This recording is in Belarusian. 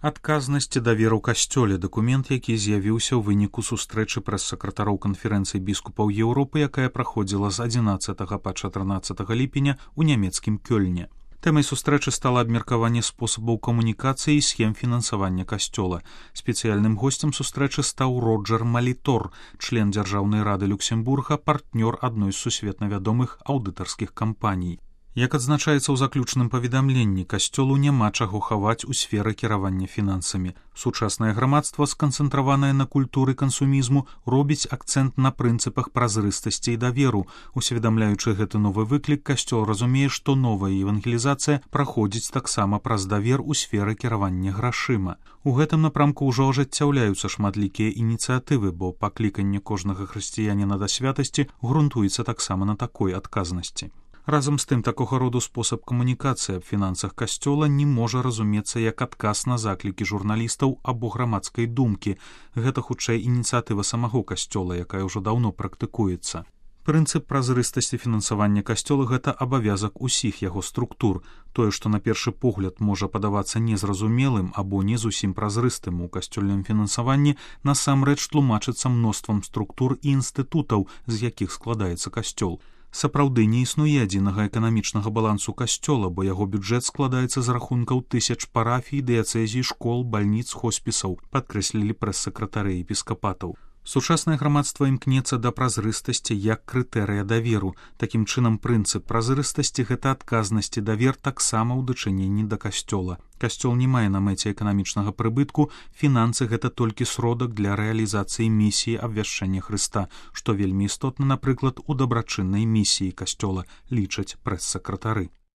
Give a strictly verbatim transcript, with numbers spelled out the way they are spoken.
Адказнасць і давер у касцёле — дакумент, які з'явіўся ў выніку сустрэчы прэс-сакратароў канферэнцыі біскупаў Еўропы, якая праходзіла з адзінаццатага па чатырнаццатага ліпеня ў нямецкім Кёльне. Тэмай сустрэчы стала абмеркаванне спосабаў камунікацыі і схем фінансавання касцёла. Спецыяльным госцем сустрэчы стаў Роджер Малітор, член Дзяржаўнай рады Люксембурга, партнёр адной з сусветна вядомых аўдытарскіх кампаній. Як адзначаецца ў заключным паведамленні, касцёлу няма чаго хаваць у сферы кіравання фінансамі. Сучаснае грамадства, сканцэнтраванае на культуры кансумізму, робіць акцэнт на прынцыпах празрыстасці і даверу. Усведамляючы гэты новы выклік, касцёл разумее, што новая евангелізацыя праходзіць таксама праз давер у сферы кіравання грашыма. У гэтым напрамку ўжо ажыццяўляюцца шматлікія ініцыятывы, бо пакліканне кожнага хрысціяніна да святасці грунтуецца таксама на такой адказнасці. Разам з тым, такога роду спосаб камунікацыі аб фінансах касцёла не можа разумецца як адказ на заклікі журналістаў або грамадскай думкі. Гэта хутчэй ініцыятыва самого касцёла, якая ўжо даўно практыкуецца. Прынцып празрыстасці фінансавання касцёла — гэта абавязак усіх яго структур. Тое, што на першы погляд можа падавацца незразумелым або не зусім празрыстым у касцёльным фінансаванні, насамрэч тлумачыцца мноствам структур і інстытутаў, з якіх складаецца касцёл. Сапраўды не існуе адзінага эканамічнага балансу касцёла, бо яго бюджэт складаецца з рахункаў тысяч парафій, дыяцэзій, школ, бальніц, хоспісаў, падкрэслілі прэс-сакратары епіскапатаў. Сучаснае грамадства імкнецца да празрыстасці як крытэрыя даверу. Такім чынам, прынцып празрыстасці — гэта адказнасць і давер таксама ў дачыненні да касцёла. Касцёл не мае на мэце эканамічнага прыбытку, фінансы — гэта толькі сродак для рэалізацыі місіі абвяшчэння Хрыста, што вельмі істотна, напрыклад, у дабрачыннай місіі касцёла, лічаць прэс-сакратары.